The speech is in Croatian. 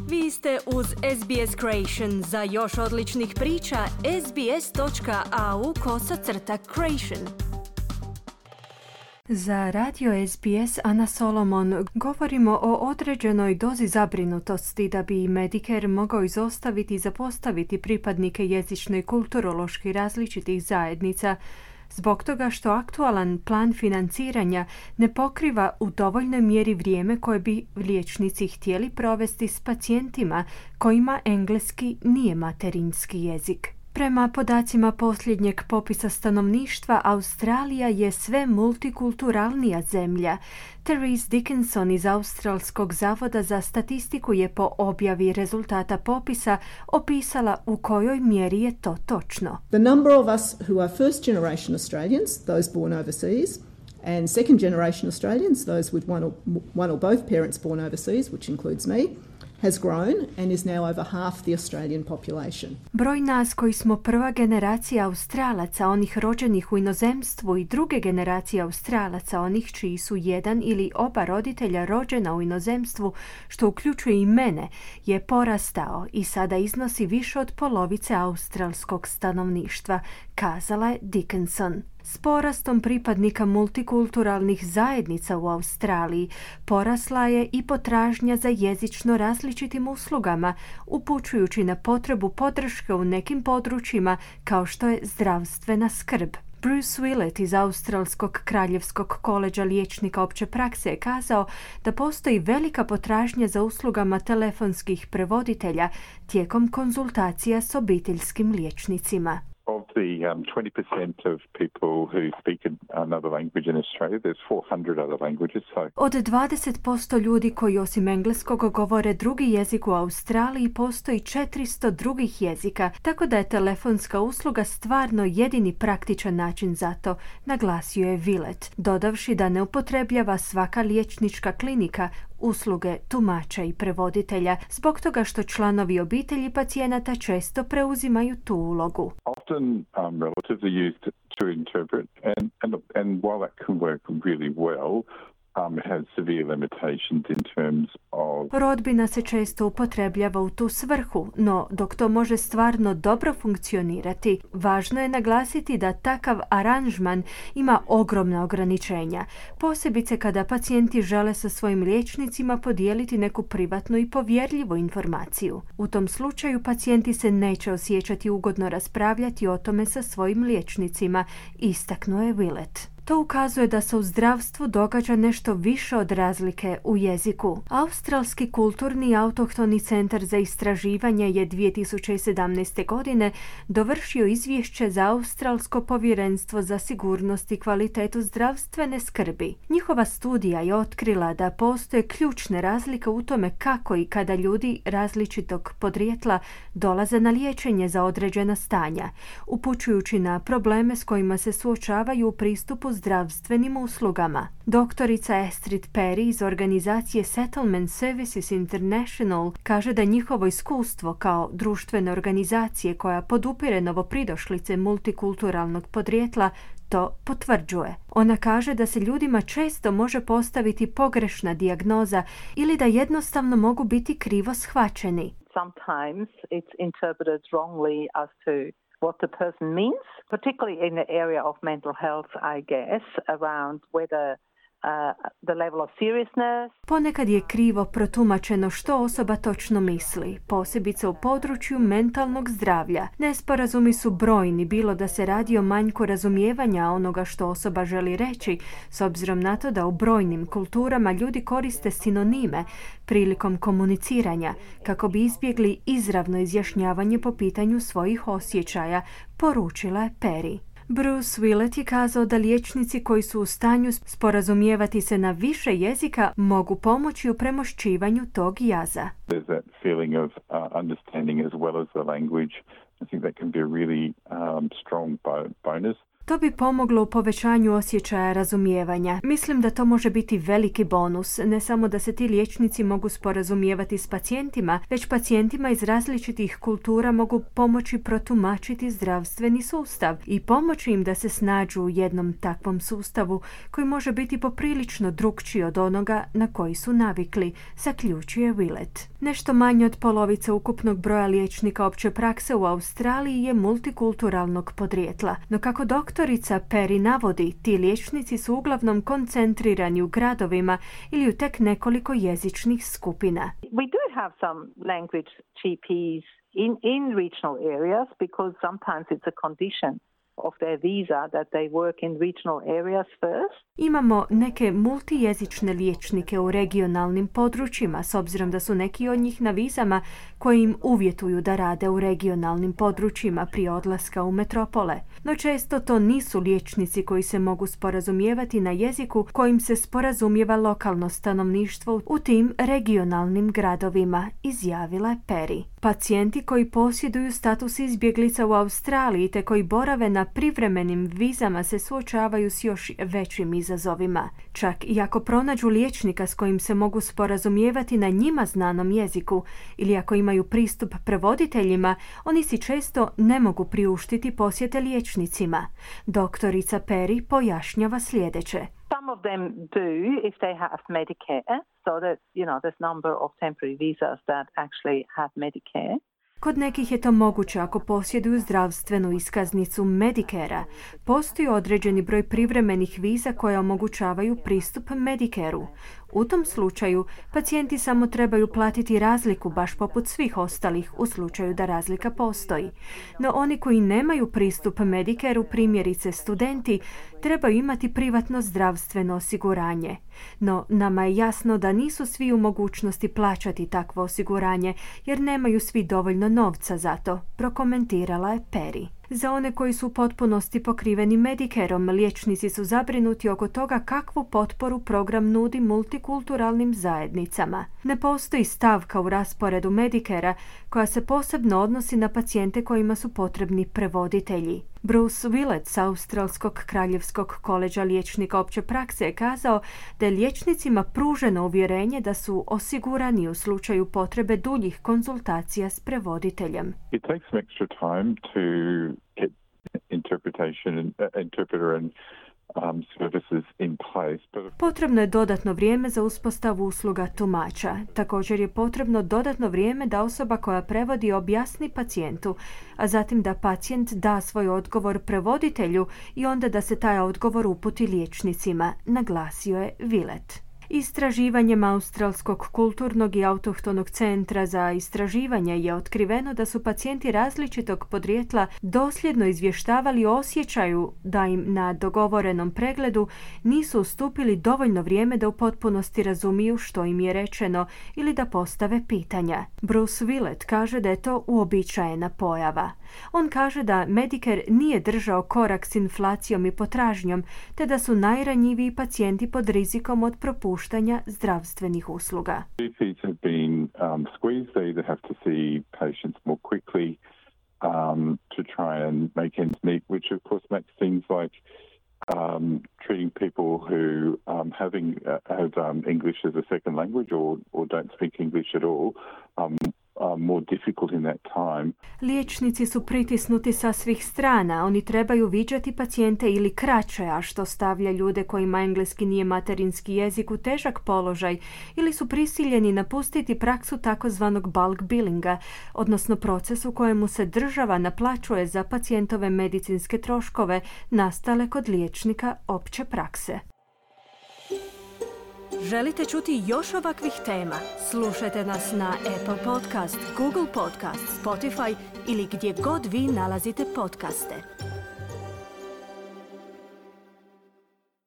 Vi ste uz SBS Creation. Za još odličnih priča, sbs.au/creation. Za radio SBS Ana Solomon govorimo o određenoj dozi zabrinutosti da bi Medicare mogao izostaviti i zapostaviti pripadnike jezično i kulturološki različitih zajednica, zbog toga što aktualan plan financiranja ne pokriva u dovoljnoj mjeri vrijeme koje bi liječnici htjeli provesti s pacijentima kojima engleski nije materinski jezik. Prema podacima posljednjeg popisa stanovništva, Australija je sve multikulturalnija zemlja. Therese Dickinson iz Australskog zavoda za statistiku je po objavi rezultata popisa opisala u kojoj mjeri je to točno. The number of us who are first generation Australians, those born overseas, and second generation Australians, those with one or both parents born overseas, which includes me, has grown and is now over half the Australian population. Broj nas koji smo prva generacija Australaca, onih rođenih u inozemstvu, i druge generacije Australaca, onih čiji su jedan ili oba roditelja rođena u inozemstvu, što uključuje i mene, je porastao i sada iznosi više od polovice australskog stanovništva, kazala je Dickinson. S porastom pripadnika multikulturalnih zajednica u Australiji porasla je i potražnja za jezično različitim uslugama, upućujući na potrebu podrške u nekim područjima kao što je zdravstvena skrb. Bruce Willett iz Australskog kraljevskog koledža liječnika opće prakse je kazao da postoji velika potražnja za uslugama telefonskih prevoditelja tijekom konzultacija s obiteljskim liječnicima. Of the 20% of people who speak another language in Australia, there's 400 other languages. Od 20% ljudi koji osim engleskog govore drugi jezik u Australiji, postoji 400 drugih jezika, tako da je telefonska usluga stvarno jedini praktičan način za to, naglasio je Willett, dodavši da ne upotrebljava svaka liječnička klinika usluge tumača i prevoditelja, zbog toga što članovi obitelji pacijenata često preuzimaju tu ulogu. Often relatives are used to interpret, and while that can work really well, it has severe limitations in terms of... Rodbina se često upotrebljava u tu svrhu, no dok to može stvarno dobro funkcionirati, važno je naglasiti da takav aranžman ima ogromna ograničenja, posebice kada pacijenti žele sa svojim liječnicima podijeliti neku privatnu i povjerljivu informaciju. U tom slučaju pacijenti se neće osjećati ugodno raspravljati o tome sa svojim liječnicima, istaknuo je Willett. To ukazuje da se u zdravstvu događa nešto više od razlike u jeziku. Australski kulturni autohtoni centar za istraživanje je 2017. godine dovršio izvješće za Australsko povjerenstvo za sigurnost i kvalitetu zdravstvene skrbi. Njihova studija je otkrila da postoje ključne razlike u tome kako i kada ljudi različitog podrijetla dolaze na liječenje za određena stanja, upućujući na probleme s kojima se suočavaju u pristupu zdravstvenim uslugama. Doktorica Astrid Perry iz organizacije Settlement Services International kaže da njihovo iskustvo kao društvene organizacije koja podupire novopridošlice multikulturalnog podrijetla to potvrđuje. Ona kaže da se ljudima često može postaviti pogrešna dijagnoza ili da jednostavno mogu biti krivo shvaćeni. Sometimes it's interpreted wrongly as to what the person means, particularly in the area of mental health, I guess, around whether the level of seriousness. Ponekad je krivo protumačeno što osoba točno misli, posebice u području mentalnog zdravlja. Nesporazumi su brojni, bilo da se radi o manjku razumijevanja onoga što osoba želi reći, s obzirom na to da u brojnim kulturama ljudi koriste sinonime prilikom komuniciranja, kako bi izbjegli izravno izjašnjavanje po pitanju svojih osjećaja, poručila je Perry. Bruce Willett je kazao da liječnici koji su u stanju sporazumijevati se na više jezika mogu pomoći u premošćivanju tog jaza. There's that feeling of understanding as well as the language. I think that can be a really strong bonus. To bi pomoglo u povećanju osjećaja razumijevanja. Mislim da to može biti veliki bonus, ne samo da se ti liječnici mogu sporazumijevati s pacijentima, već pacijentima iz različitih kultura mogu pomoći protumačiti zdravstveni sustav i pomoći im da se snađu u jednom takvom sustavu koji može biti poprilično drukčiji od onoga na koji su navikli, zaključuje Willett. Nešto manje od polovice ukupnog broja liječnika opće prakse u Australiji je multikulturalnog podrijetla, no kako doktorica Perry navodi, ti liječnici su uglavnom koncentrirani u gradovima ili u tek nekoliko jezičnih skupina. We do have some language GPs in regional areas because sometimes it's a condition of their visa that they work in regional areas first. Imamo neke multijezične liječnike u regionalnim područjima, s obzirom da su neki od njih na vizama koji im uvjetuju da rade u regionalnim područjima prije odlaska u metropole. No često to nisu liječnici koji se mogu sporazumijevati na jeziku kojim se sporazumijeva lokalno stanovništvo u tim regionalnim gradovima, izjavila je Perry. Pacijenti koji posjeduju status izbjeglica u Australiji te koji borave na privremenim vizama se suočavaju s još većim izazovima. Čak i ako pronađu liječnika s kojim se mogu sporazumijevati na njima znanom jeziku ili ako imaju pristup prevoditeljima, oni si često ne mogu priuštiti posjete liječnicima. Doktorica Perry pojašnjava sljedeće. Some of them do if they have Medicare, so that, there's number of temporary visas that actually have Medicare. Kod nekih je to moguće ako posjeduju zdravstvenu iskaznicu Medicare-a. Postoji određeni broj privremenih viza koje omogućavaju pristup Medicare-u. U tom slučaju pacijenti samo trebaju platiti razliku baš poput svih ostalih u slučaju da razlika postoji. No oni koji nemaju pristup Medicare-u, primjerice studenti, trebaju imati privatno zdravstveno osiguranje. No nama je jasno da nisu svi u mogućnosti plaćati takvo osiguranje jer nemaju svi dovoljno novca za to, prokomentirala je Perry. Za one koji su u potpunosti pokriveni Medicareom, liječnici su zabrinuti oko toga kakvu potporu program nudi multikulturalnim zajednicama. Ne postoji stavka u rasporedu Medicarea koja se posebno odnosi na pacijente kojima su potrebni prevoditelji. Bruce Willett s Australskog kraljevskog koleđa liječnika opće prakse je kazao da je liječnicima pruženo uvjerenje da su osigurani u slučaju potrebe duljih konzultacija s prevoditeljem. It takes some extra time to get interpreter and services in place. Potrebno je dodatno vrijeme za uspostavu usluga tumača. Također je potrebno dodatno vrijeme da osoba koja prevodi objasni pacijentu, a zatim da pacijent da svoj odgovor prevoditelju i onda da se taj odgovor uputi liječnicima, naglasio je Willett. Istraživanjem Australskog kulturnog i autohtonog centra za istraživanje je otkriveno da su pacijenti različitog podrijetla dosljedno izvještavali o osjećaju da im na dogovorenom pregledu nisu ustupili dovoljno vrijeme da u potpunosti razumiju što im je rečeno ili da postave pitanja. Bruce Willett kaže da je to uobičajena pojava. On kaže da Medicare nije držao korak s inflacijom i potražnjom, te da su najranjiviji pacijenti pod rizikom od propuštanja zdravstvenih usluga. GPs have been squeezed. They either have to see patients more quickly to try and make ends meet, which of course makes things like treating people who have English as a second language or don't speak English at all more difficult in that time. Liječnici su pritisnuti sa svih strana. Oni trebaju viđati pacijente ili kraće, a što stavlja ljude kojima engleski nije materinski jezik u težak položaj, ili su prisiljeni napustiti praksu takozvanog bulk billinga, odnosno proces u kojemu se država naplaćuje za pacijentove medicinske troškove nastale kod liječnika opće prakse. Želite čuti još ovakvih tema? Slušajte nas na Apple Podcast, Google Podcast, Spotify ili gdje god vi nalazite podcaste.